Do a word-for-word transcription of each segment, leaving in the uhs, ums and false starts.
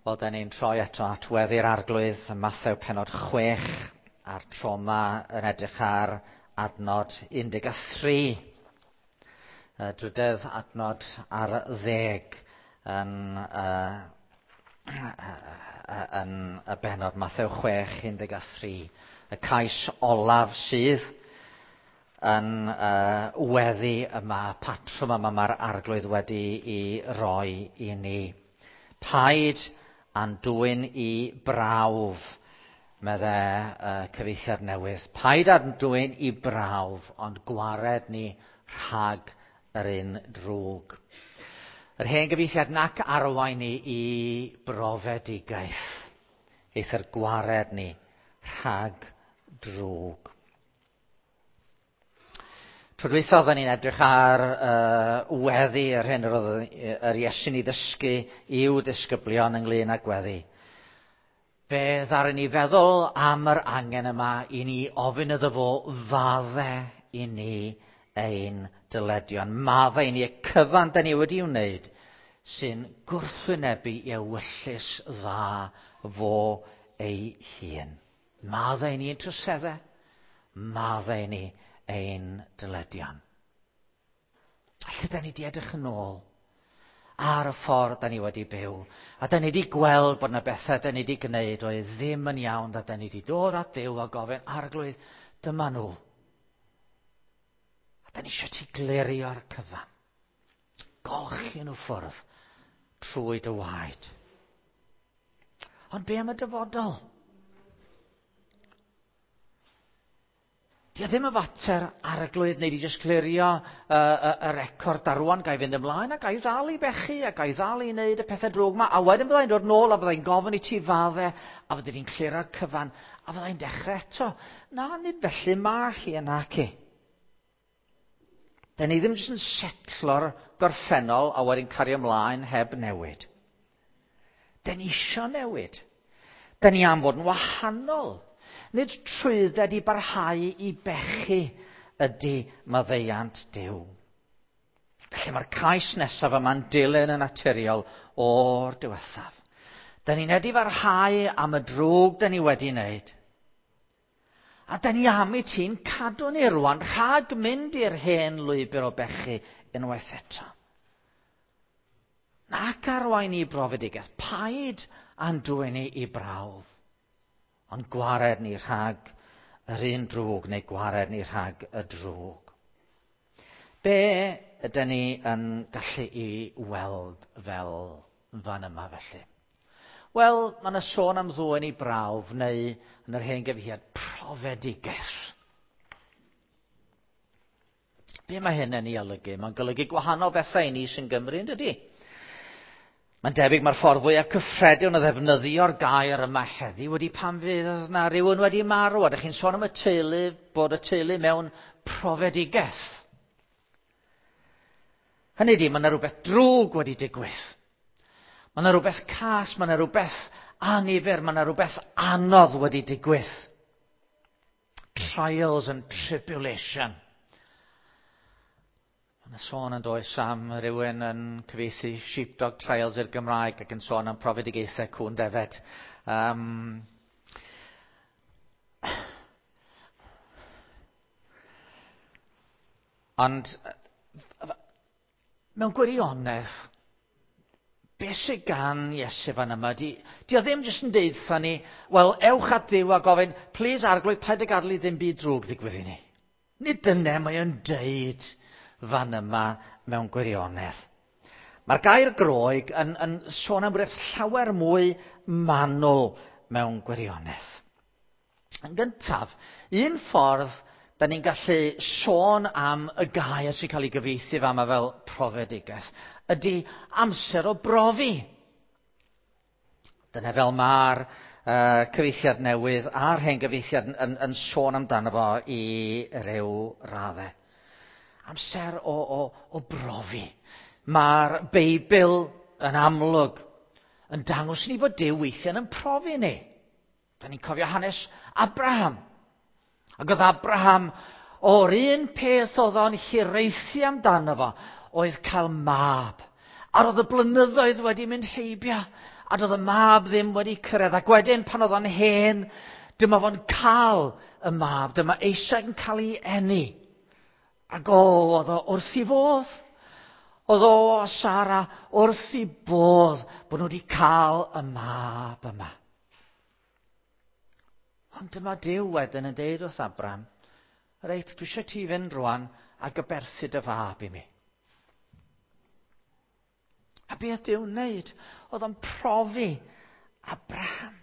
Wel, da ni'n troi eto at weddi'r Arglwydd ym Mathew pennod chwech, a'r tro 'ma yn edrych ar adnod un deg tri. Y drydedd adnod ar ddeg yn, uh, yn y bennod Mathew chwech, un deg tri. Y cais olaf sydd yn uh, weddi yma, patrwm yma mae'r Arglwydd wedi i roi i ni. Paid a'n dwyn i brawf, medde uh, cyfieithiad newydd. Paid a'n dwyn i brawf, ond gwared ni rhag yr un drwg. Yr hen gyfieithiad nac arwain ni i brofedigaeth, eithr gwared ni rhag drwg. Tro dwytha oedden ni'n edrych ar uh, weddi, yr hyn yr oedd yr Iesu'n ei ddysgu i'w disgyblion ynglyn â gweddi. Fe ddaru ni feddwl am yr angen yma i ni ofyn iddo fo fadde i ni ein dyledion. Madde i ni y cyfan da ni wedi wneud sy'n gwrthwynebu i ewyllys dda fo ei hun. Madde i ni ein troseddau, madde i ni ein dyledion. A lle da ni wedi edrych yn ôl ar y ffordd da ni wedi byw, a da ni wedi gweld bod yna bethau da ni wedi gwneud oedd ddim yn iawn, a da ni wedi dod at Dduw a gofyn, Arglwydd, dyma nhw. A da ni eisiau ti glirio'r cyfan. Golchi nhw ffwrdd trwy dy waed. Ond be am y dyfodol? Di o ddim yn fater Arglwydd neu di jyst clirio uh, y, y record a rwan ga i fynd ymlaen a ga i ddal i bechu a ga i ddal i wneud y pethau drwg yma, a wedyn byddai'n dod nôl a byddai'n gofyn i ti fadde a fyddi di'n clirio'r cyfan a fyddai'n dechrau eto. Na, nid felly ma hi yna ci. Da ni ddim jyst yn setlo'r gorffennol a wedyn cario ymlaen heb newid. Da ni isio newid. Da ni am fod yn wahanol. Nid trwydded i barhau i bechu ydy maddeuant Duw. Felly mae'r cais nesaf yma'n dilyn yn naturiol o'r diwethaf. Da ni'n edifarhau am y drwg da ni wedi wneud. A da ni am i ti'n cadw ni rwan rhag mynd i'r hen lwybr o bechu unwaith eto. Nac arwain i brofedigaeth, paid a'n dwyn ni i brawf. Ond gwared ni rhag yr un drwg neu gwared ni rhag y drwg. Be ydyn ni yn gallu i weld fel fan yma felly? Wel, mae yna sôn am ddwyn i brawf neu yn yr hen gyfieithiad profedigaeth. Be mae hyn yn ei olygu? Mae'n golygu gwahanol bethau i ni sy'n Gymru, yn dydi? Mae'n debyg mae'r ffordd fwyaf cyffredin o ddefnyddio'r gair yma heddiw wedi pan fydd yna rhywun wedi marw. A ydych chi'n sôn am y teulu, bod y teulu mewn profedigaeth. Hynny ydi, mae yna rhywbeth drwg wedi digwydd. Mae yna rhywbeth cas, mae yna rhywbeth annifyr, mae yna rhywbeth anodd wedi digwydd. Trials and tribulation. Mae yna sôn yn does am rhywun yn cyfieithu Sheepdog Trials i'r Gymraeg ac yn sôn am profedigaethau cŵn defed. Um, ond mewn gwirionedd, beth sydd gan Iesu fan yma, di, di o ddim jyst yn deud wrtha ni, wel, ewch at Dduw a gofyn, please Arglwydd, paid â gadael i ddim byd drwg ddigwydd i ni. Nid dyna mae o'n deud fan yma mewn gwirionedd. Mae'r gair Groeg yn, yn sôn am rywbeth llawer mwy manwl mewn gwirionedd. Yn gyntaf, un ffordd da ni'n gallu sôn am y gair sy'n cael ei gyfieithu fama fel profedigaeth ydy amser o brofi. Dyna fel mae'r uh, cyfieithiad newydd a'r hen gyfieithiad yn, yn, yn sôn amdano fo i ryw raddau. Amser o, o, o brofi. Mae'r Beibl yn amlwg yn dangos ni fod Duw weithiau yn profi ni. Da ni'n cofio hanes Abraham. Ac oedd Abraham o'r un peth oedd o'n hiraethu amdano fo oedd cael mab. A roedd y blynyddoedd wedi mynd heibio, a doedd y mab ddim wedi cyrraedd. Ac wedyn pan oedd o'n hen, dyma fo'n cael y mab, dyma Isaac yn cael ei eni. Ac o, oedd o wrth ei fodd. Oedd o a Sara wrth ei bodd bod nhw wedi cael y mab yma. Ond dyma Duw wedyn yn deud wrth Abraham, reit, dwi eisiau ti fynd rwan ac aberthu dy fab i mi. A beth Duw'n wneud? Oedd o'n profi Abraham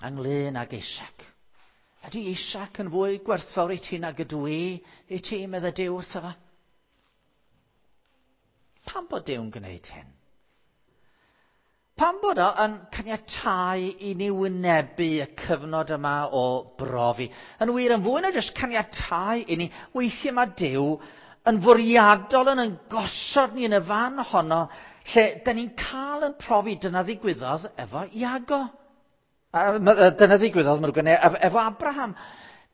ynglyn ag Isaac. Ydy Isaac yn fwy gwerthfawr i ti nag ydw i i ti, medde Duw wrtho fo? Pam bod Duw'n gwneud hyn? Pam bod o yn caniatáu i ni wynebu y cyfnod yma o brofi? Yn wir, yn fwy na jyst caniatáu i ni, weithiau mae Duw yn fwriadol yn yn gosod ni yn y fan honno lle da ni'n cael yn profi. Dyna ddigwyddodd efo Iago. Dyna ddigwyddodd efo Abraham.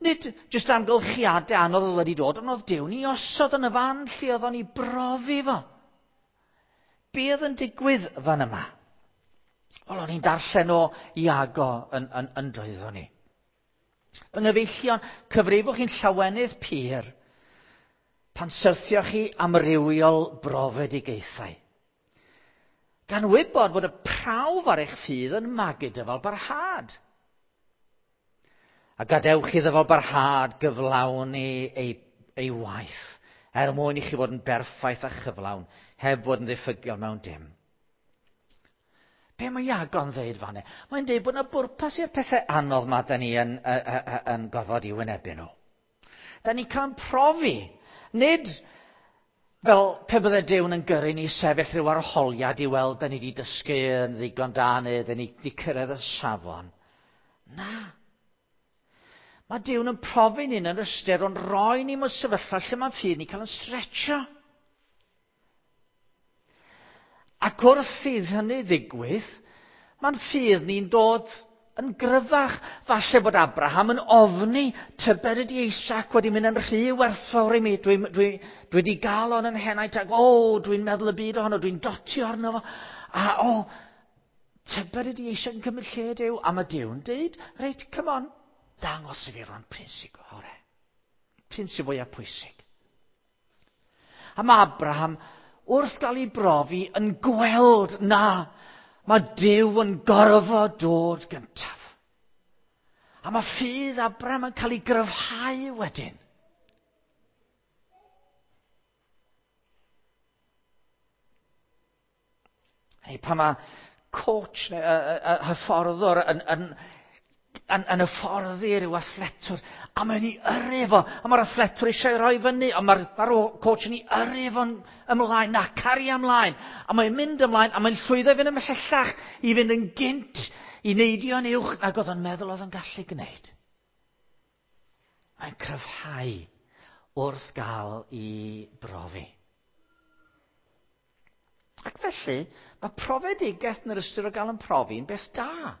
Nid jyst amgylchiadau anodd oedd wedi dod, ond oedd Duw ni osod yn y fan lle oedd o'n i brofi fo. Be oedd yn digwydd fan yma? Wel, o'n i'n darllen o Iago yn, yn, yn doeddwn ni. Fy nghyfeillion, cyfrifwch chi'n llawenydd pur pan syrthioch chi amrywiol brofedigaethau. Gan wybod bod y prawf ar eich ffydd yn magu dyfal barhad. A gadewch i ddyfal barhad gyflawni ei, ei waith, er mwyn i chi fod yn berffaith a chyflawn, heb fod yn ddiffygiol mewn dim. Be mae Iago'n ddeud fanne? Mae'n deud bod yna bwrpas i'r pethau anodd ma da ni yn, yn, yn, yn gorfod i wynebu nhw. Da ni'n cael profi, nid fel pe bydde Duw'n yn gyrru ni sefyll rhyw arholiad i weld da ni wedi dysgu yn ddigon da neu da ni wedi cyrraedd y safon. Na. Mae Duw'n yn profi ni yn yr ystyr o'n roi ni mewn sefyllfa lle mae'n ffydd ni cael yn stretcho. Ac wrth i hynny ddigwydd, mae'n ffydd ni'n dod yn gryfach. Falle bod Abraham yn ofni, tybed ydy Isaac wedi mynd yn rhy werthfawr i mi. Dwi, dwi, dwi wedi gael o'n yn henaid ac o, dwi'n meddwl y byd ohono, dwi'n dotio arno fo. A o, tybed ydy Isaac yn cymryd lle Duw. A mae Duw'n deud, reit, come on, dangos i fi rwan p'run sy'n gore. P'run sy'n fwyaf pwysig. A mae Abraham, wrth gael ei brofi, yn gweld na, mae Duw yn gorfod dod gyntaf. A mae ffydd Abraham yn cael ei gryfhau wedyn. Hei, pan mae coach neu uh, uh, hyfforddwr yn, yn, yn, yn hyfforddi rhyw athletwr, a mae'n ei yrru fo, a mae'r athletwr eisiau roi fyny, ond mae'r ma coach yn ei yrru fo'n ymlaen, na, cario ymlaen, a mae'n mynd ymlaen, a mae'n llwyddo i fynd ymhellach, i fynd yn gynt, i neidio'n uwch nag oedd o'n meddwl oedd o'n gallu gwneud. Mae'n cryfhau wrth gael ei brofi. Ac felly, mae profedigaeth yn yr ystyr o gael yn profi yn beth da.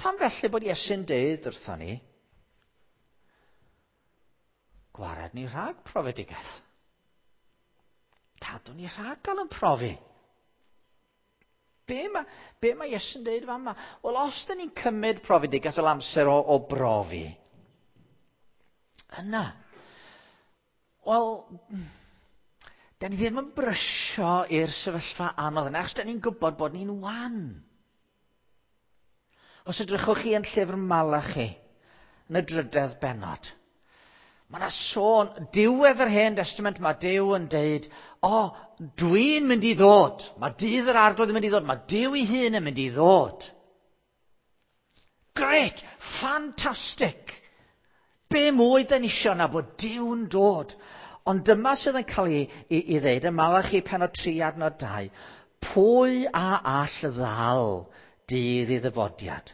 Pam felly bod Iesu'n deud wrthon ni, gwared ni rhag profedigaeth. Cadw ni rhag gael yn profi. Be mae, be mae Iesu'n deud fan yma? Wel, os da ni'n cymryd profedigaeth fel amser o, o brofi, yna, wel, da ni ddim yn brysio i'r sefyllfa anodd yna, achos da ni'n gwybod bod ni'n wan. Os edrychwch chi yn llyfr Malachi, yn y drydedd bennod, mae yna sôn, diwedd yr Hen Testament, mae Duw yn deud, o, dwi'n mynd i ddod, mae dydd yr Arglwydd yn mynd i ddod, mae Duw ei hun yn mynd i ddod. Great, fantastic. Be mwy da ni isio na bod Duw'n dod. Ond dyma sydd yn cael ei, ei, ei ddeud yn Malachi pennod tri adnod dau, pwy a all ddal dydd i ddyfodiad?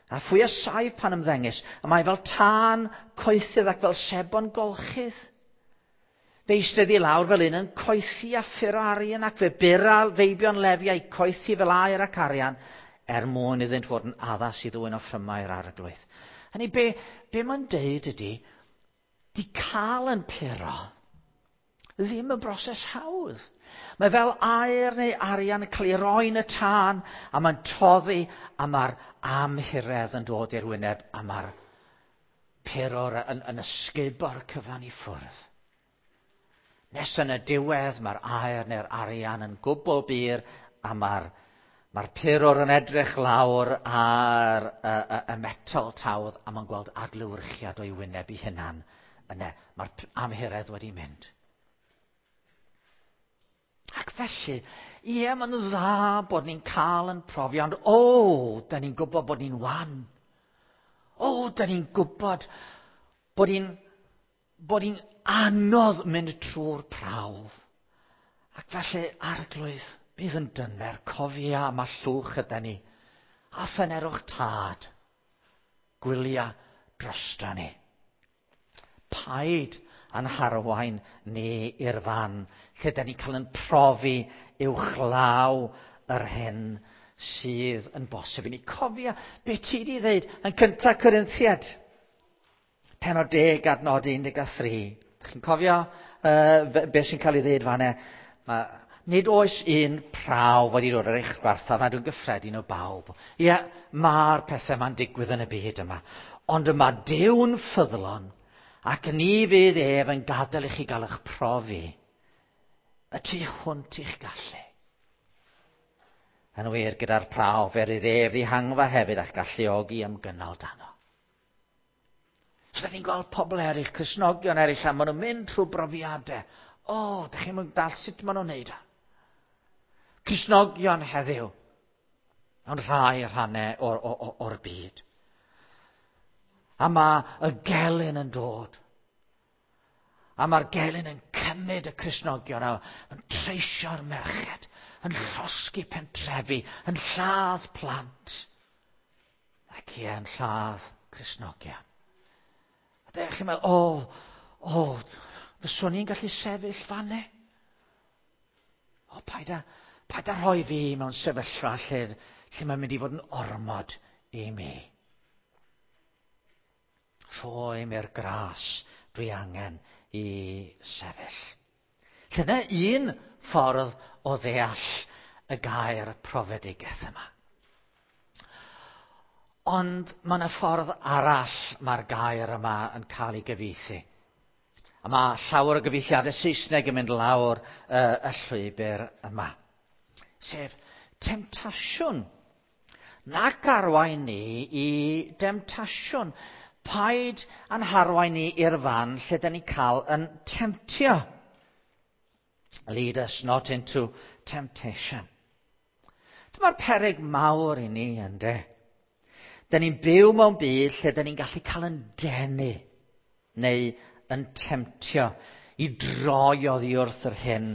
A phwy a saif pan ymddengys? A mae fel tân coethydd ac fel sebon golchydd. Fe eistedd i lawr fel un yn coethi a ffuro arian ac fe bura feibion Lefi a'i coethi fel aur ac arian er mwyn iddynt fod yn addas i ddwyn offrymau'r Arglwydd. Hynny be, be mae'n deud ydy, di cael yn puro Ddim yn broses hawdd. Mae fel aur neu arian yn cael ei roi yn y tân, a mae'n toddi, a mae'r amhuredd yn dod i'r wyneb, a mae'r purwr yn, yn ysgubo'r cyfan i ffwrdd. Nes yn y diwedd mae'r aur neu'r arian yn gwbl bur, a mae'r mae'r purwr yn edrych lawr ar y, y, y metel tawdd, a mae'n gweld adlewyrchiad o'i wyneb ei hunan. Yna, mae'r amhuredd wedi mynd. Ac felly, ie, mae'n dda bod ni'n cael yn profi, ond o, da ni'n gwybod bod ni'n wan. O, da ni'n gwybod bod ni'n bod ni'n anodd mynd trwy'r prawf. Ac felly, Arglwydd, bydd yn dyner, cofia am y llwch yda ni, a thynerwch Tad, gwylia drosto ni. Paid a'n harwain ni i'r fan lle da ni'n cael yn profi uwchlaw yr hyn sydd yn bosib i ni. Cofia be ti di ddeud yn cyntaf Corinthiaid, pennod deg adnod un deg a thri. Chi'n cofio uh, be sy'n cael ei ddeud fan'na? Ma, nid oes un prawf wedi dod ar eich gwarthaf nad yw'n gyffredin o bawb. Ie, mae'r pethau ma'n digwydd yn y byd yma. Ond y mae Duw'n ffyddlon, ac ni fydd ef yn gadael i chi gael eich profi y tu hwnt i'ch gallu. Yn wir, gyda'r prawf, er iddo ef ddihangfa hefyd a'ch galluogi ymgynnal dano. So, da ni'n gweld pobl eraill, Cristnogion eraill, a maen nhw'n mynd trwy brofiadau. O, da chi'n mynd dall sut maen nhw'n neud o. Cristnogion heddiw, mewn rhai rhannau o'r, or, or byd. A mae y gelyn yn dod. A mae'r gelyn yn cymryd y Cristnogion a yn treisio'r merched, yn llosgi pentrefi, yn lladd plant. Ac ie, yn lladd Cristnogion. A dych chi'n meddwl, o, o, fyswn i'n gallu sefyll fanne? O, paid a, paid a rhoi fi mewn sefyllfa lle, lle mae'n mynd i fod yn ormod i mi. Rhoi mi'r gras dwi angen i sefyll. Dyna un ffordd o ddeall y gair profedigaeth yma. Ond mae yna ffordd arall mae'r gair yma yn cael ei gyfieithu. A mae llawer o gyfieithiadau Saesneg yn mynd lawr uh, y llwybr yma. Sef temtasiwn. Nac arwain ni i demtasiwn. Paid a'n harwain ni i'r fan lle da ni cael yn temtio. Lead us not into temptation. Dyma'r peryg mawr i ni, yndê. Da ni'n byw mewn byd lle da ni'n gallu cael yn denu neu yn temtio i droi oddi wrth yr hyn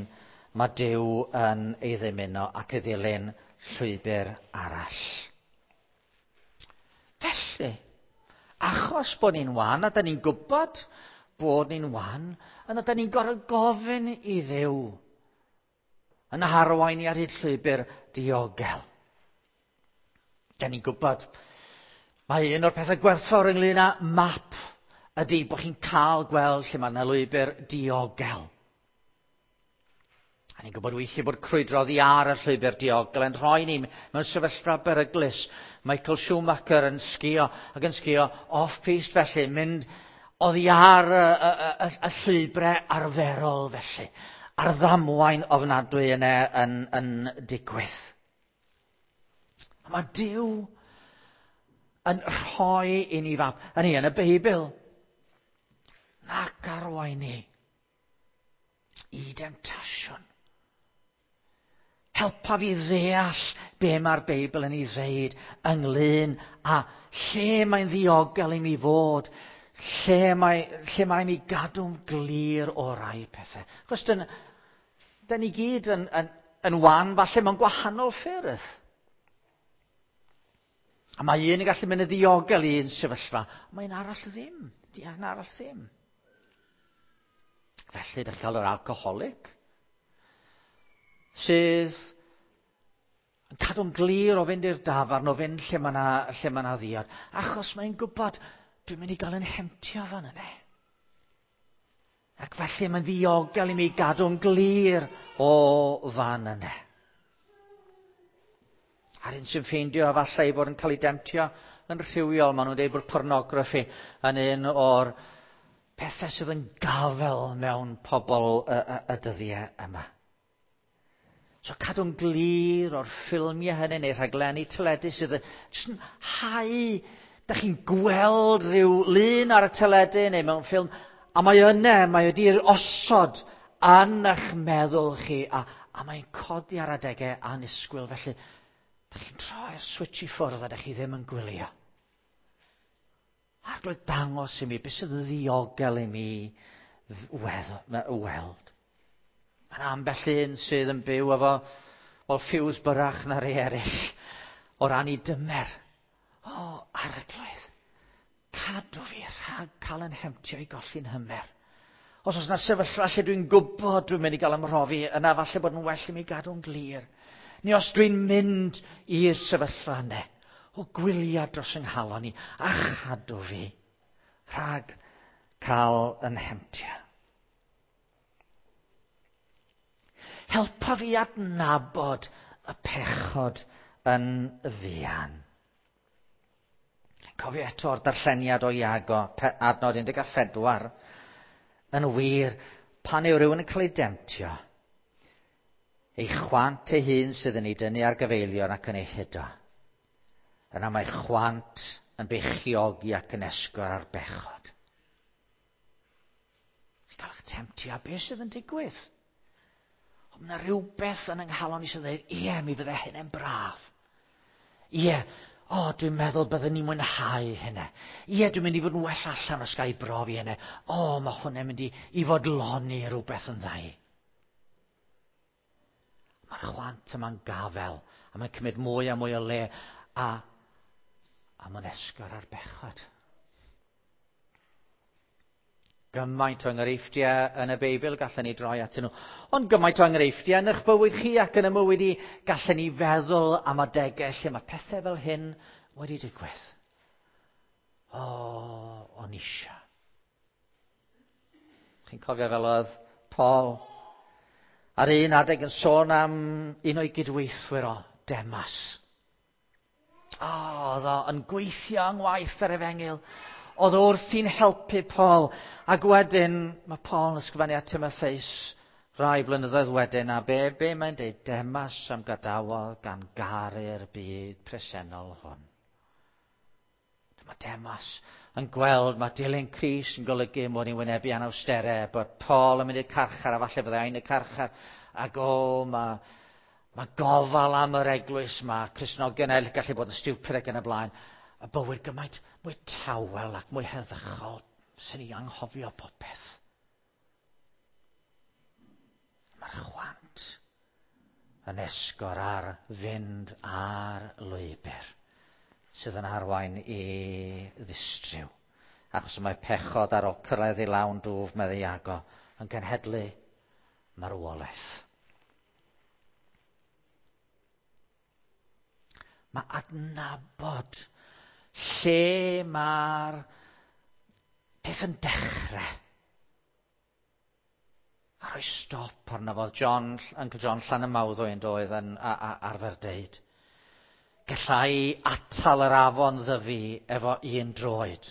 mae Duw yn ei ddymuno ac ei ddilyn llwybr arall. Felly, achos bod ni'n wan, a da ni'n gwybod bod ni'n wan, yna da ni'n gorfod gofyn i Dduw yn harwain ni ar hyd llwybr diogel. Da ni'n gwybod, mae un o'r pethau gwerthfawr ynglyn â map ydy bod chi'n cael gweld lle mae yna lwybr diogel. A ni'n gwybod weithiau bod crwydro oddi ar y llwybr diogel yn rhoi ni mewn sefyllfa beryglus. Michael Schumacher yn sgio ac yn sgio off-piste felly, mynd oddi ar y, y, y, y llwybrau arferol felly, a'r ddamwain ofnadwy yna yn, yn digwydd. A mae Duw yn rhoi i ni fap, yn ni yn y Beibl, nac arwain ni i demtasiwn. Helpa fi ddeall be mae'r Beibl yn ei ddeud ynglyn â lle mae'n ddiogel i mi fod, lle mae, lle mae mi gadw'n glir o rai pethau. Achos dyn, dyn ni gyd yn, yn, yn wan falle mewn gwahanol ffyrdd. A mae un yn gallu mynd yn ddiogel i un sefyllfa, mae'n arall ddim. Di un arall ddim. Felly, dych chi'n cael yr alcoholic sydd yn cadw'n glir o fynd i'r dafarn, o fynd lle mae yna, lle mae yna ddiod, achos mae'n gwybod, dwi'n mynd i gael yn hemtio fan yna. Ac felly mae'n ddiogel i mi gadw'n glir o fan yna. A'r un sy'n ffeindio efallai ei fod yn cael ei demtio yn rhywiol, maen nhw'n dweud bod pornograffi yn un o'r pethau sydd yn gafel mewn pobl y, y, y dyddiau yma. So cadw'n glir o'r ffilmiau hynny neu rhaglenni teledu sydd yn jyst yn hau. Da chi'n gweld rhyw lun ar y teledu neu mewn ffilm, a mae yna, mae wedi'r osod yn eich meddwl chi, a, a mae'n codi ar adegau annisgwyl. Felly, da chi'n troi'r switch i ffwrdd a da chi ddim yn gwylio. Arglwydd, dangos i mi beth sydd ddiogel i mi weld. Mae'n ambell un sydd yn byw efo wel, ffiws byrach na rei eraill o ran i dymer. O, Arglwydd, cadw fi rhag cael yn hemtio i golli'n hymer. Os oes yna sefyllfa lle dwi'n gwybod dwi'n mynd i gael ymhrofi, yna falle bod yn well i mi gadw'n glir. Neu os dwi'n mynd i'r sefyllfa yna, o gwyliau dros yng nghalon i, a chadw fi rhag cael yn hemtio. Helpa fi adnabod y pechod yn fuan. Cofio eto'r darlleniad o Iago, adnod un deg pedwar. Yn wir, pan yw rhywun yn cael ei demtio, ei chwant ei hun sydd yn ei dynnu ar gyfeilion ac yn ei hudo. Yna mae chwant yn beichiogi ac yn esgor ar bechod. Chi'n cael eich temtio, a beth sydd yn digwydd? Ond mae yna rhywbeth yn yng nghalon i sydd yn dweud, ie, mi fydde hynny'n braf. Ie, o, dwi'n meddwl byddwn ni'n mwynhau hynny. Ie, dwi'n mynd i fod yn well allan os ga i brofi hynny. O, mae hwnna'n mynd i, i fodloni rhywbeth yn ddau. Mae'r chwant yma'n gafel, a mae'n cymryd mwy a mwy o le, a, a mae'n esgor ar bechod. Gymaint o enghreifftiau yn y Beibl gallen ni droi atyn nhw. Ond gymaint o enghreifftiau yn eich bywyd chi ac yn y mywyd i, gallen ni feddwl am adegau lle mae pethau fel hyn wedi digwydd. O, o'n eisiau. Chi'n cofio fel oedd Paul ar un adeg yn sôn am un o'i gydweithwyr o, Demas. O, oedd o yn gweithio yng ngwaith yr efengyl. Oedd wrthi'n helpu Paul. Ac wedyn, mae Paul yn ysgrifennu at Timotheus rai blynyddoedd wedyn, a be, be mae'n dweud? Demas am gadawodd gan garu'r byd presennol hwn. Dyma Demas yn gweld mae dilyn Crist yn golygu mod i'n wynebu anawsterau, bod Paul yn mynd i'r carchar, a falle byddai yn y carchar, ac o, mae, mae gofal am yr eglwys, mae Cristnogion eraill gallu bod yn stupid ac yn y blaen. Y bywyd gymaint mwy tawel ac mwy heddychol, sy'n ni anghofio popeth. Mae'r chwant yn esgor ar fynd ar lwybr sydd yn arwain i ddistryw. Achos mae pechod ar ôl cyrraedd i lawn dwf, meddai Iago, yn cenhedlu marwolaeth. Mae adnabod lle mae'r peth yn dechrau. A rhoi stop arno fo. John, Uncle John Llanymawddwy yn doedd yn a, a, arfer deud. Gallai atal yr afon ddyfu efo un droed.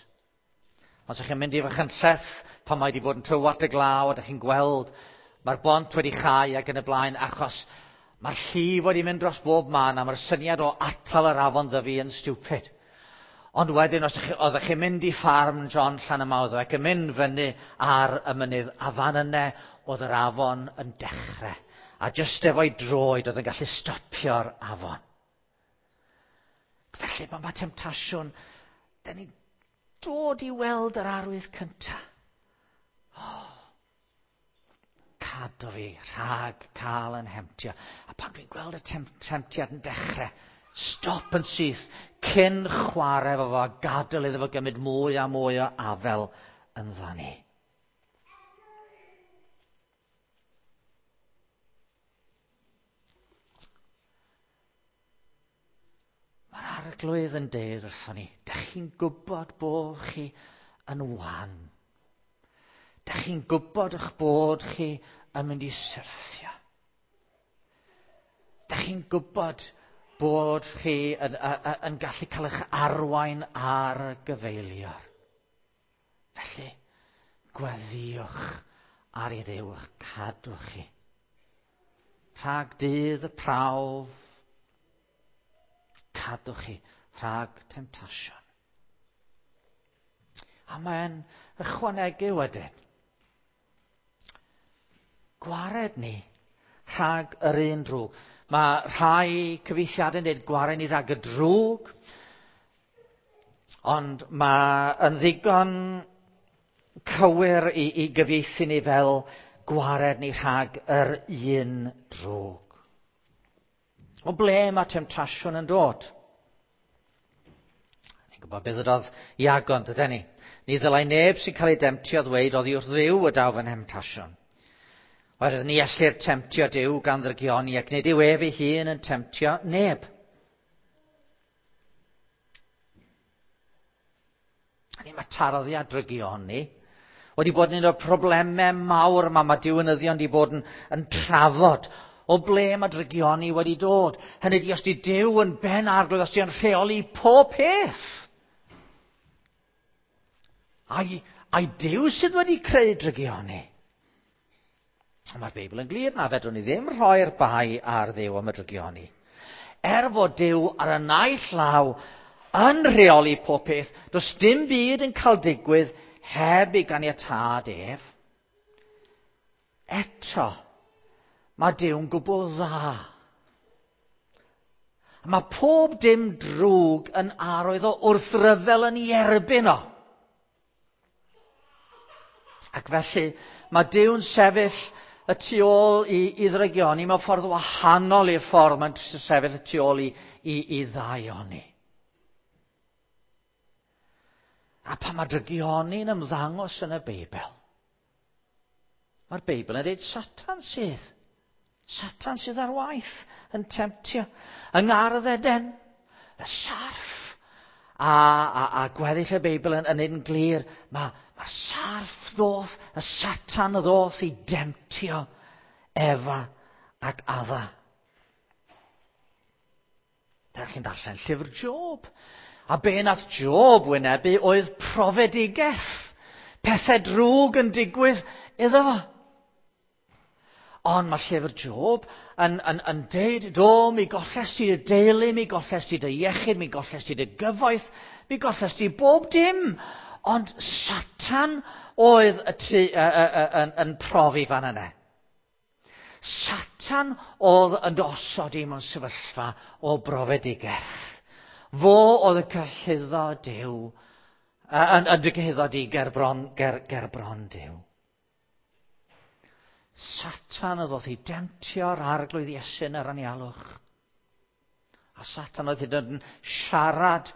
Ond os ydych chi'n mynd i Fachynlleth pan mae wedi bod yn tywallt y glaw a ydych chi'n gweld mae'r bont wedi chau ac yn y blaen, achos mae'r llif wedi mynd dros bob man a mae'r syniad o atal yr afon ddyfu yn stupid. Ond wedyn, os oeddech chi'n mynd i ffarm John Llanymawddwy ac yn mynd fyny ar y mynydd, a fan yna oedd yr afon yn dechrau. A jyst efo'i droed oedd yn gallu stopio'r afon. Felly, mae ma temtasiwn, da ni'n dod i weld yr arwydd cyntaf. Oh, cadw fi rhag cael yn hemtio. A pan dwi'n gweld y tem temtiad yn dechrau, stop yn syth, cyn chwarae efo fo a gadael iddo fo gymryd mwy a mwy o afel ynddo ni. Mae'r Arglwydd yn deud wrthon ni, dych chi'n gwybod bod chi yn wan. Dych chi'n gwybod eich bod chi yn mynd i syrthio. Dych chi'n gwybod bod chi yn, yn, yn gallu cael eich arwain ar gyfeilior. Felly, gweddïwch ar i Dduw eich cadw chi. Rhag dydd y prawf, cadw chi rhag temtasiwn. A mae'n ychwanegu wedyn. Gwared ni rhag yr un drwg. Mae rhai cyfieithiadau'n dweud gwared ni rhag y drwg, ond mae yn ddigon cywir i, i gyfieithu ni fel gwared ni rhag yr un drwg. O ble mae temtasiwn yn dod? Ni'n gwybod beth ydodd Iago, dydyn ni? Ni ddylai neb sy'n cael ei demtio ddweud oddi wrth Dduw y daw fy nhemtasiwn. Oherwydd ni ellir temtio Duw gan ddrygioni ac nid yw ef ei hun yn temtio neb. A ni mae tarddiad drygioni wedi bod yn un o'r problemau mawr yma mae diwinyddion wedi bod yn, yn trafod o ble mae drygioni wedi dod. Hynny ydi, os di Duw yn ben arglwydd, os di yn rheoli pob peth. Ai, ai Duw sydd wedi creu drygioni? Mae'r Beibl yn glir na fedrwn ni ddim rhoi'r bai ar Dduw am y drygioni. Er fod Duw ar y naill law yn rheoli pob peth, does dim byd yn cael digwydd heb ei ganiatâd ef. Eto, mae Duw'n gwbl dda. Mae pob dim drwg yn arwydd o wrthryfel yn ei erbyn o. Ac felly, mae Duw'n sefyll y tu ôl i, i ddrygioni mewn ffordd wahanol i'r ffordd mae'n sefyll y tu ôl i, i, i ddaioni. A pan mae drygioni'n ymddangos yn y Beibl, mae'r Beibl yn dweud Satan sydd. Satan sydd ar waith yn temtio. Yng Ngardd Eden, y sarff. A, a, a gweddill y Beibl yn, yn un glir, mae mae'r sarff ddoth, y Satan ddoth i demtio Efa ac Adda. Dych chi'n darllen llyfr Job. A be nath Job wynebu oedd profedigaeth. Pethau drwg yn digwydd iddo fo. Ond mae llyfr Job yn, yn, yn deud, do, mi golles ti dy deulu, mi golles ti dy iechyd, mi golles ti dy gyfoeth, mi golles ti bob dim. Ond Satan oedd y tu, y, y, y, yn, yn profi fan yna. Satan oedd yn dosod i mewn sefyllfa o brofedigaeth. Fo oedd y cyhuddo Duw, yn, yn dy gyhuddo di ger bron, ger, ger bron Duw. Satan oedd oedd i demtio'r arglwydd Iesu yn yr anialwch. A Satan oedd hyd yn siarad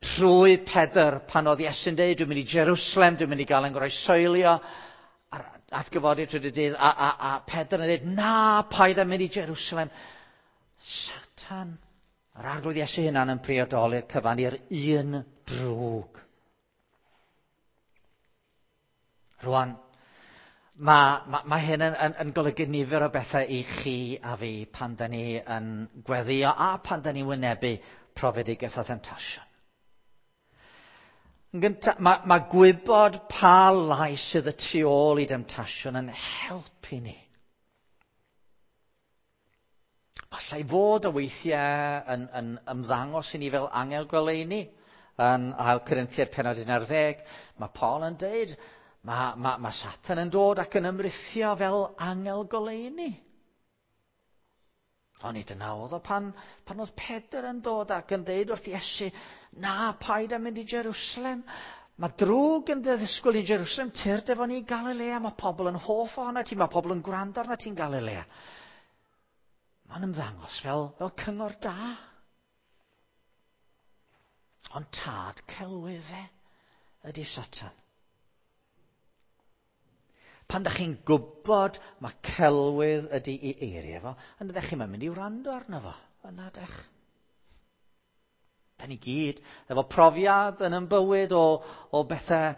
trwy Pedr pan oedd Iesu'n deud, dwi'n mynd i Jerusalem, dwi'n mynd i gael yn groesoelio, a'r atgyfodi trwy dydd, a, a, a Pedr yn dweud, na, paid â mynd i Jerusalem. Satan, yr arglwydd Iesu hunan yn priodoli'r cyfan i'r un drwg. Rwan, mae, mae, mae hyn yn, yn, yn golygu nifer o bethau i chi a fi pan da ni yn gweddio a pan da ni'n wynebu profedigaeth a themtasiwn. Yn gyntaf, mae, mae gwybod pa lais sydd y tu ôl i demtasiwn yn helpu ni. Allai fod o weithiau yn, yn ymddangos i ni fel angel goleuni. Yn ail Corinthiaid pennod un ar ddeg, mae Paul yn deud, mae, mae, mae Satan yn dod ac yn ymrithio fel angel goleuni. Ond nid yna oedd o pan, pan oedd Pedr yn dod ac yn deud wrth Iesu, na, paid â mynd i Jerusalem. Mae drwg yn dy ddisgwyl i Jerusalem, tyrd efo ni i Galilea. Mae pobl yn hoff ohono ti, mae pobl yn gwrando arna ti'n Galilea. Mae'n ymddangos fel, fel cyngor da. Ond tad celwydd e ydy Satan. Pan dach chi'n gwybod mae celwydd ydy ei eiriau fo, yna dach chi'n mynd i wrando arno fo. Yna dach. Da ni gyd efo profiad yn yn bywyd o, o bethau,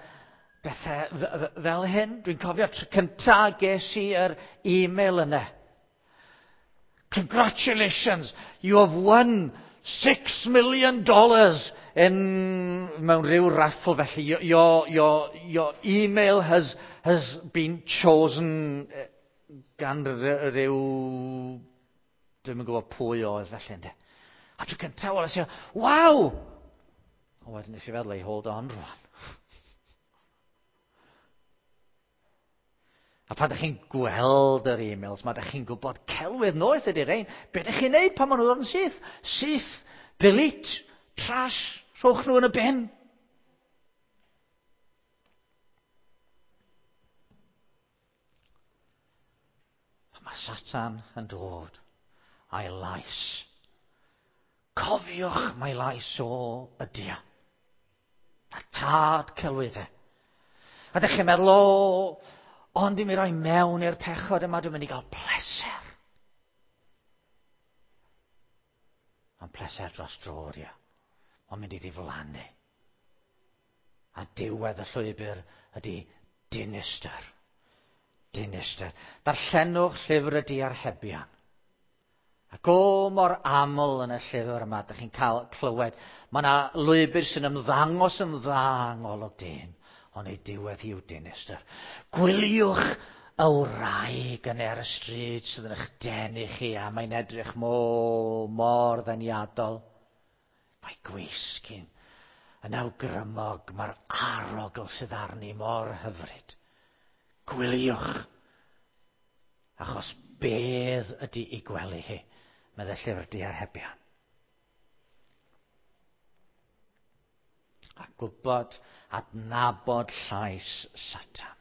bethau fel hyn. Dwi'n cofio tro cyntaf ges i yr e-mail yna. Congratulations, you have won six million dollars in mewn rhyw raffle felly. Your, your, your, your email has, has been chosen gan rhyw... Dwi'm yn gwybod pwy oedd felly, ynddo. A tro cyntaf, weles i, waw! A wedyn nes i feddwl, ei hold on rwan. A pan ydych chi'n gweld yr e-mails, mae ydych chi'n gwybod celwydd noeth ydy'r ein. Be ydych chi'n neud pan maen nhw'n dod yn syth? Syth, delete, trash, rhowch nhw yn y bin. A mae Satan yn dod a'i lais. Cofiwch mai lais o ydy o. A tad celwyddau. A ydych chi'n meddwl, o, ond i mi roi mewn i'r pechod yma, dwi'n mynd i gael pleser. Ond pleser dros dro ydy o. Mae'n mynd i ddiflannu. A diwedd y llwybr ydy dinistr. Dinistr. Darllenwch llyfr y diarhebion. Ac o mor aml yn y llyfr yma, ydych chi'n cael clywed, mae yna lwybr sy'n ymddangos yn dda yng ngolwg dyn, ond ei diwedd hi yw dinistr. Gwyliwch y wraig yn ar y stryd sydd yn eich denu chi, a mae'n edrych mor, mor ddeniadol. Mae gwisg hi'n yn awgrymog, mae'r arogl sydd arni mor hyfryd. Gwyliwch, achos bedd ydy ei gwely hi, meddai llyfr diarhebion. A gwybod, adnabod llais Satan.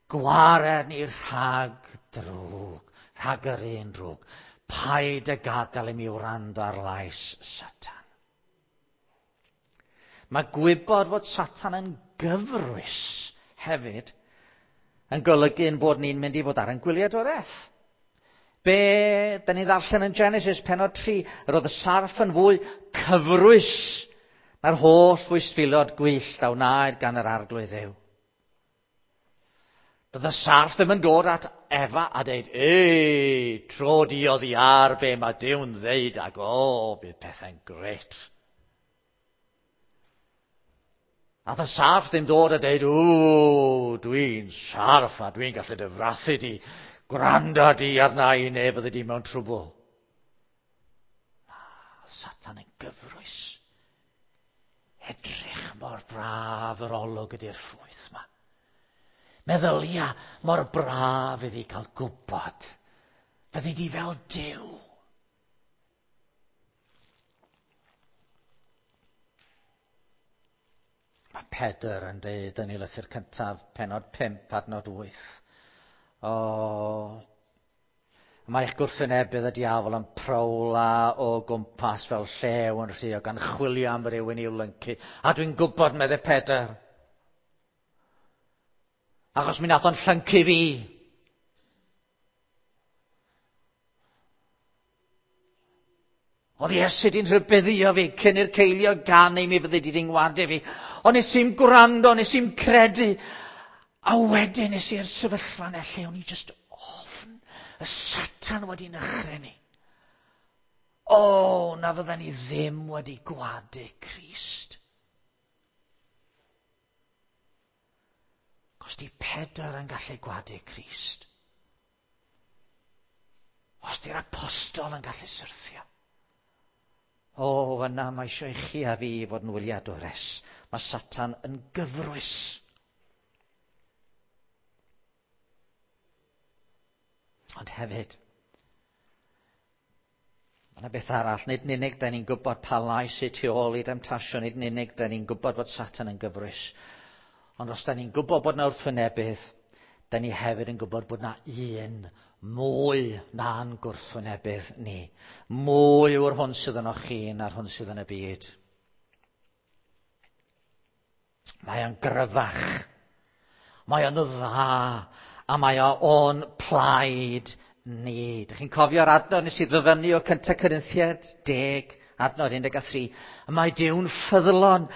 Gwared ni rhag drwg, rhag yr un drwg. Paid y gadael i mi wrando ar lais Satan. Mae gwybod fod Satan yn gyfrwys hefyd yn golygu ein bod ni'n mynd i fod ar ein gwyliadwraeth. Be da ni ddarllen yn Genesis pennod tri, yr oedd y sarff yn fwy cyfrwys na'r holl fwystfilod gwyllt a wnaed gan yr Arglwydd Dduw. Doedd y sarff ddim yn dod at Efa a dweud, ei, tro di oddi ar be mae Duw'n ddeud ac o, bydd pethau'n gret. A y sarff ddim dod a dweud, o, dwi'n sarff a dwi'n gallu dy frathu di, gwrando di arna i neu fyddi di mewn trwbl. Na, Satan yn gyfrwys. Edrych mor braf yr olwg ydy'r ffrwyth yma. Meddylia mor braf iddi cael gwybod. Fyddi di fel Duw. Mae Pedr yn dweud yn ei lythyr cyntaf, pennod pump, adnod wyth. O, mae eich gwrthwynebydd y diafol yn prowla o gwmpas fel llew yn rhuo gan chwilio am rywun i'w lyncu. A dwi'n gwybod, meddai Pedr, achos mi nath o'n llyncu fi. Oedd Iesu di'n rhybuddio fi cyn i'r ceilio ganu mi fyddi di ngwadu fi. Ond nes i'm gwrando, nes i'm credu. A wedyn nes i'r sefyllfa yna lle o'n i just ofn y Satan wedi nychryn ni. O, na fydden ni ddim wedi gwadu Crist. Os di Pedr yn gallu gwadu Crist. Os di'r apostol yn gallu syrthio. O, yna mae eisiau i chi a fi fod yn wyliadwres. Mae Satan yn gyfrwys. Ond hefyd, mae yna beth arall. Nid yn unig da ni'n gwybod pa lais sy tu ôl i demtasiwn, nid yn unig da ni'n gwybod fod Satan yn gyfrwys. Ond os da ni'n gwybod bod yna wrthwynebydd, da ni hefyd yn gwybod bod yna un mwy na'n gwrthwynebydd ni. Mwy yw'r hwn sydd yno chi na'r hwn sydd yn y byd. Mae o'n gryfach. Mae o'n dda. A mae o'n plaid ni. Dych chi'n cofio'r adnod nes i ddyfynnu o Cynta Corinthiaid deg adnod un deg tri. Y mae Duw'n ffyddlon,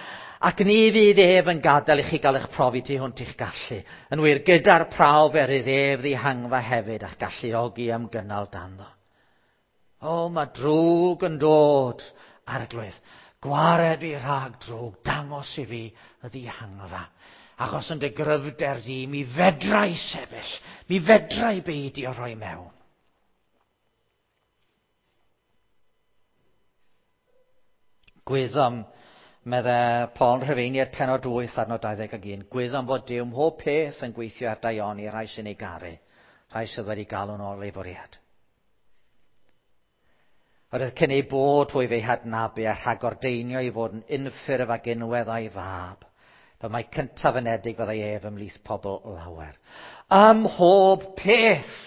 ac ni fydd ef yn gadael i chi gael eich profi tu hwnt i'ch gallu. Yn wir, gyda'r prawf er iddo ef ddihangfa hefyd a'ch galluogi am gynnal dando. O, mae drwg yn dod, Arglwydd. Gwared fi rhag drwg, dangos i fi y ddihangfa. Achos yn dy gryfder di, mi fedra i sefyll, mi fedra i beidio rhoi mewn. Gwyddom, medde Paul yn Rhufeiniaid penod wyth adnod dau ddeg ac un, gwyddom fod Duw mhob peth yn gweithio ar daioni rhai sy'n ei garu, rhai sydd wedi galw'n ôl ei fwriad. Oedd cyn ei bod hwy fe'i hadnabu a rhagordeinio i fod yn unffurf ac unwedd a'i fab, fe mae cyntaf ynedig fyddai ef ymhlith pobl lawer. Ym mhob peth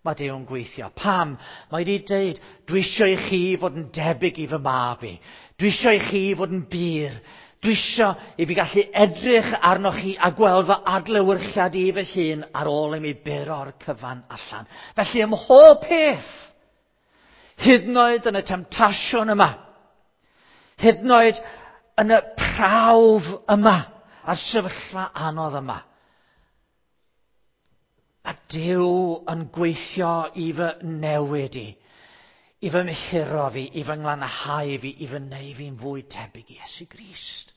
mae Duw'n gweithio. Pam? Mae wedi dweud, dwi eisiau i chi fod yn debyg i fy mab i. Dwi eisiau i chi fod yn bur. Dwi eisiau i fi gallu edrych arnoch chi a gweld fy adlewyrchiad i fy hun ar ôl i mi buro'r cyfan allan. Felly ym mhob peth, hyd yn oed yn y temtasiwn yma, hyd yn oed yn y prawf yma, a'r sefyllfa anodd yma, a Duw yn gweithio i fy newid i, i fy mhuro fi, i fy nglanhau fi, i fy neu fi'n fwy tebyg i Iesu Grist.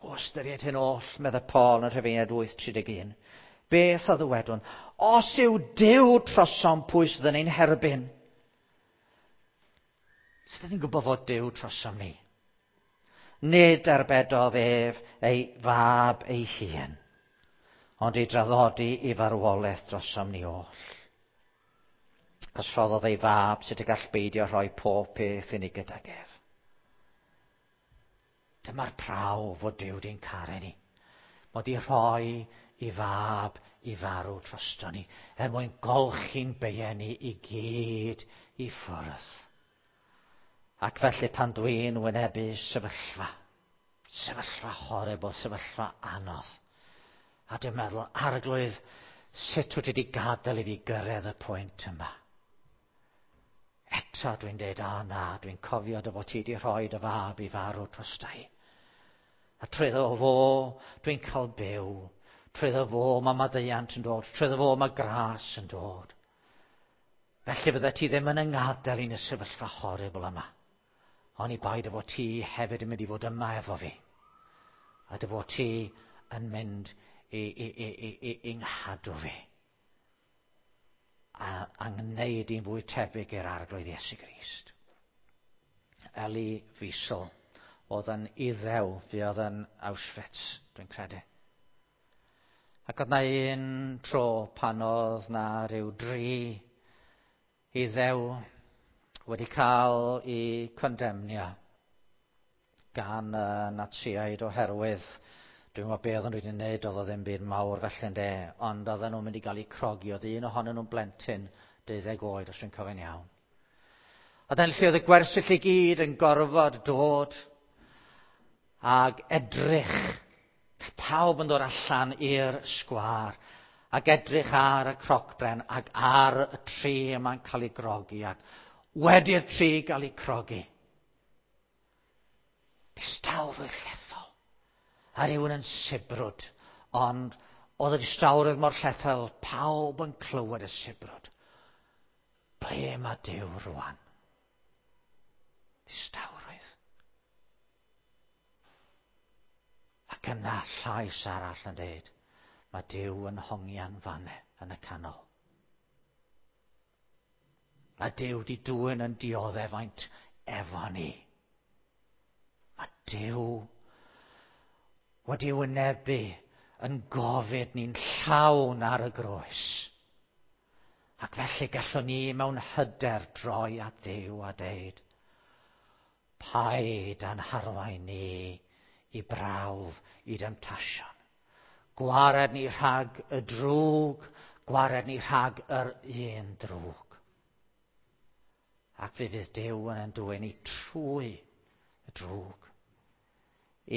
O ystyried hyn oll, medde Paul yn Rhufeiniaid wyth tri deg un, beth a ddywedwn? Os yw Duw trosom, pwy sydd yn ein herbyn? Sut ydyn ni'n gwybod fod Duw trosom ni? Nid arbedodd ef ei fab ei hun, ond ei draddodi i farwolaeth drosom ni oll. Cos rhoddodd ei fab sut y gall beidio rhoi pob peth i ni gydag ef. Dyma'r prawf fod Duw di'n caru ni. Mod i rhoi i fab i farw drosto ni, er mwyn golchi'n beiau ni i gyd i ffwrdd. Ac felly pan dwi'n wynebu sefyllfa, sefyllfa horrible, sefyllfa anodd, a dwi'n meddwl, Arglwydd, sut wyt ti wedi gadael i fi gyrraedd y pwynt yma? Eto dwi'n dweud, a na, dwi'n cofio dy fod ti wedi rhoi dy fab i farw drosta i. A trwyddo fo, dwi'n cael byw. Trwyddo fo, mae maddeuant yn dod. Trwyddo fo, mae gras yn dod. Felly fydde ti ddim yn yngadael i'n y sefyllfa horrible yma. Ond i bai dy fod ti hefyd yn mynd i fod yma efo fi. A dy fod ti yn mynd i, i, i, i, i, i nghadw fi. A, a ngwneud i'n fwy tebyg i'r Arglwydd Iesu Grist. Elie Wiesel oedd yn Iddew, fuodd yn Auschwitz, dwi'n credu. Ac oedd na un tro pan oedd na rhyw dri Iddew wedi cael eu condemnio gan y Natsiaid oherwydd, dwi'n meddwl be oedden nhw wedi wneud, oedd o ddim byd mawr felly ynde, ond oedden nhw'n mynd i gael eu crogi, oedd un ohonyn nhw'n blentyn deuddeg oed, os dwi'n cofio'n iawn. A dyna lle oedd y gwersyll i gyd yn gorfod dod ag edrych, pawb yn dod allan i'r sgwâr, ac edrych ar y crocbren ac ar y tri yma'n cael ei grogi, ac wedi'r tri gael ei crogi. Distawrwydd llethol, a rhywun yn sibrwd, ond oedd y distawrwydd mor llethol, pawb yn clywed y sibrwd. Ble mae Duw rwan? Distawrwydd. Ac yna llais arall yn dweud, mae Duw yn hongian fanne yn y canol. Mae Duw di dwyn yn dioddefaint efo ni. Mae Duw wedi wynebu yn gofid ni'n llawn ar y groes. Ac felly gallwn ni mewn hyder droi at Dduw a deud, paid â'n harwain ni i brawf i demtasiwn. Gwared ni rhag y drwg, gwared ni rhag yr un drwg. Ac fe fydd Duw yn ein dwyn ni trwy y drwg.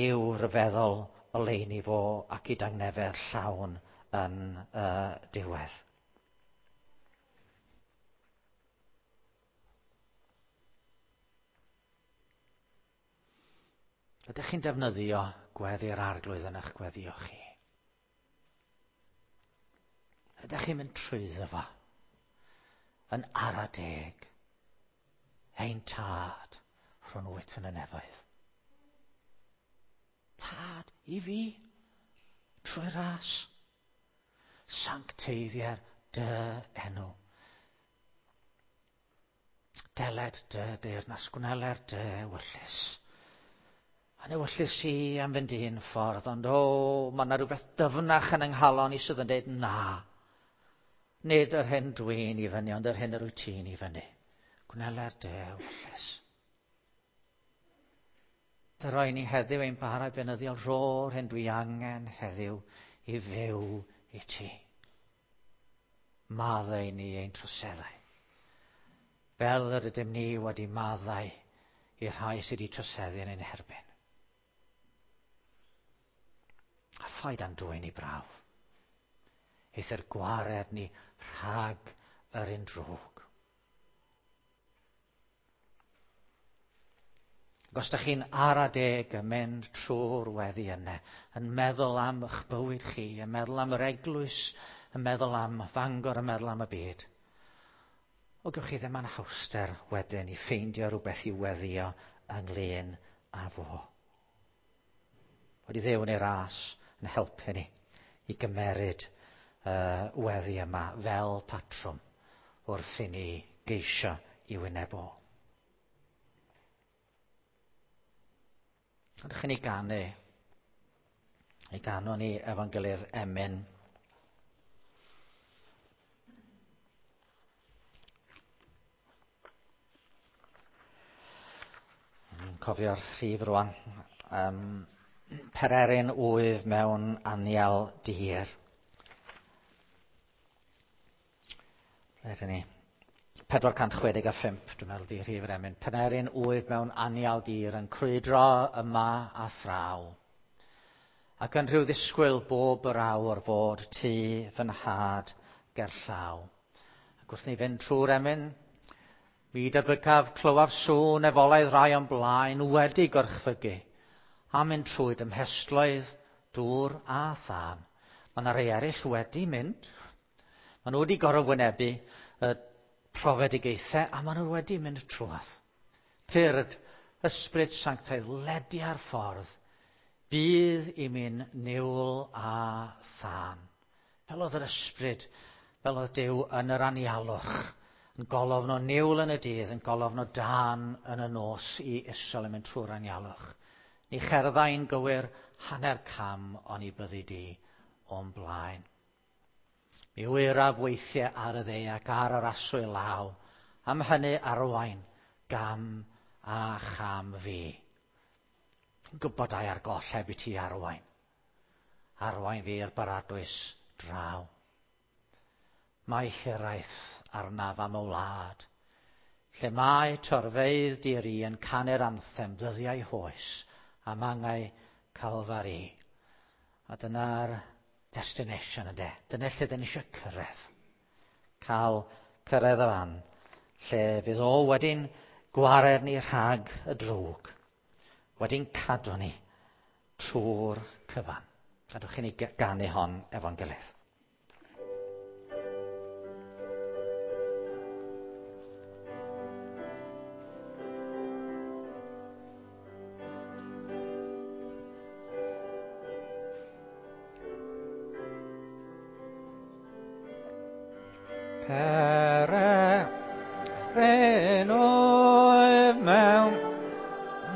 I'w ryfeddol oleuni fo ac i dangnefedd llawn yn y uh, diwedd. Ydych chi'n defnyddio gweddi'r Arglwydd yn eich gweddio chi? Ydych chi'n mynd trwyddo fo yn ara deg? Ein tad rhwng wyt yn y nefoedd. Tad i fi, trwy ras. Sancteiddier dy enw. Deled dy deyrnas, gwneler dy ewyllys. A'n ewyllys i am fynd un ffordd, ond o, mae yna rhywbeth dyfnach yn yng nghalon i sydd yn dweud na. Nid yr hyn dwi'n i fyny, ond yr hyn yr wyt ti'n i fyny. Gwneler dy ewyllys. Dyroi ni heddiw ein bara beunyddiol, rho'r hyn dwi angen heddiw i fyw i ti. Maddau ni ein troseddau. Fel yr ydym ni wedi maddau i'r rhai sydd wedi troseddu yn ein herbyn. A phaid â'n dwyn i brawf. Eithr gwared ni rhag yr un drwg. Ac os ydych chi'n ara deg yn mynd trwy'r weddi yna, yn meddwl am eich bywyd chi, yn meddwl am yr eglwys, yn meddwl am Fangor, yn meddwl am y byd, o gewch chi ddim anhawster wedyn i ffeindio rhywbeth i weddio ynglyn â fo. Wedi Dduw yn ei ras yn helpu ni i gymeryd uh, weddi yma fel patrwm wrth i ni geisio i wyneb o. Ydych chi'n ei ganu? Ei ganu ni efo'n gilydd emyn. Yn cofio'r rhif rwan. Um, Pererin wyf mewn anial dir. Ble ydyn ni? pedwar cant chwe deg a phump, dwi'n meddwl, di rhif yr emyn. Pererin wyf mewn anial dir yn crwydro yma a thraw. Ac yn rhyw ddisgwyl bob yr awr fod tu fy nhad gerllaw. Ac wrth ni fynd trwy'r emyn, mi debycaf clywaf sŵn efolaidd rai o'n blaen wedi gorchfygu, a mynd trwy dymhestloedd, dŵr a thân. Mae yna rei eraill wedi mynd. Maen nhw wedi gorfod wynebu y profedigaethau, a maen nhw wedi mynd trwadd. Tyrd, ysbryd sanctaidd, ledia'r ffordd, bydd i mi'n niwl a thân. Fel oedd yr ysbryd, fel oedd Duw yn yr anialwch, yn golofn o niwl yn y dydd, yn golofn o dân yn y nos i Israel yn mynd trwy'r anialwch. Ni cherddai'n gywir hanner cam oni byddi di o'n blaen. Mi wyraf weithiau ar y dde ac ar yr aswy law, am hynny arwain gam a cham fi. Gwybod ai ar goll heb i ti arwain. Arwain fi i'r baradwys draw. Mae hiraeth arnaf am y wlad, lle mae torfeydd diri yn canu'r anthem dyddiau hoes am angau Calfari. A dyna'r destination yndê. Dyna lle dyn ni eisiau cyrraedd. Cael cyrraedd y fan, lle fydd o wedi'n gwared ni rhag y drwg, wedi'n cadw ni trwy'r cyfan. Gadwch i ni ganu hon efo'n gilydd. Pererin wyf mewn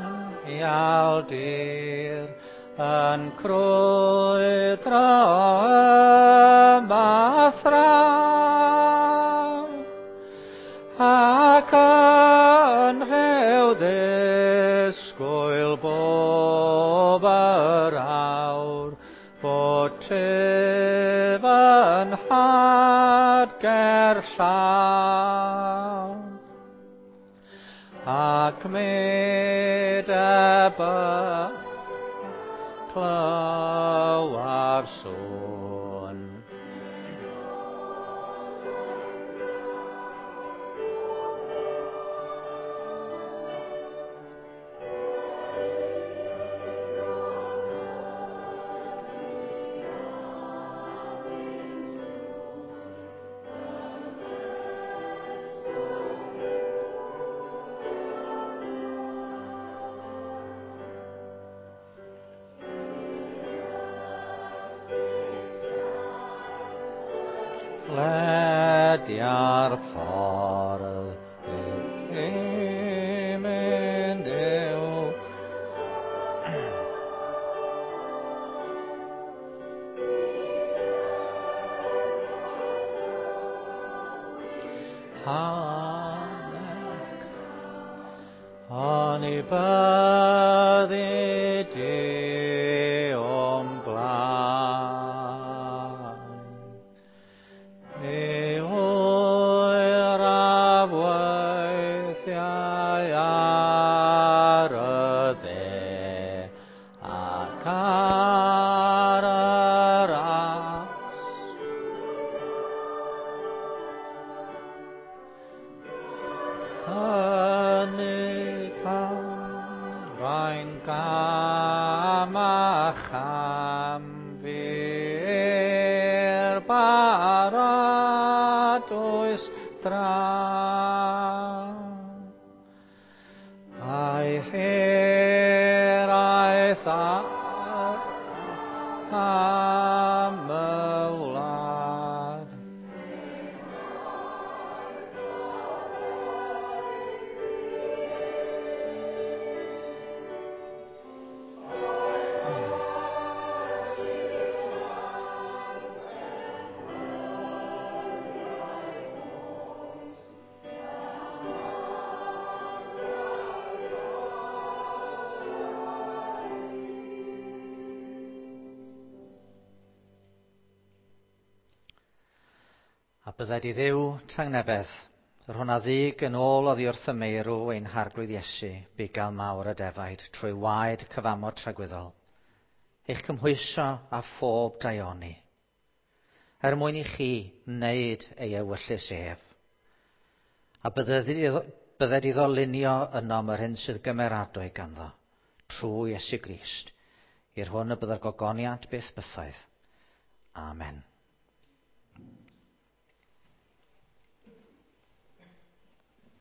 anial dir, yn crwydro yma a thraw, ac yn rhyw ddisgwyl bob yr awr, bod ti fy nhad gerllaw. Ac mi debyg clywaf sŵn. Ledia'r ffordd bydd i'n mynd yw. Hanec, oni byddi di o'm blaen. Mi oeraf weithiau ar y dde ac ar yr as. Hynny camrain gam a cham fi'r baradwys draw. A'i hiraeth ar am y wlad. A bydded i Dduw tangnefedd, yr hwn a ddig yn ôl oddi wrth y meirw ein harglwydd Iesu, bugail mawr y defaid, trwy waed cyfamod tragwyddol, eich cymhwyso â phob daioni, er mwyn i chi wneud ei ewyllys ef. A bydded iddo, bydded iddo lunio ynom yr hyn sydd gymeradwy ganddo, trwy Iesu Grist, i'r hwn y bydda'r gogoniant byth bythaidd. Amen.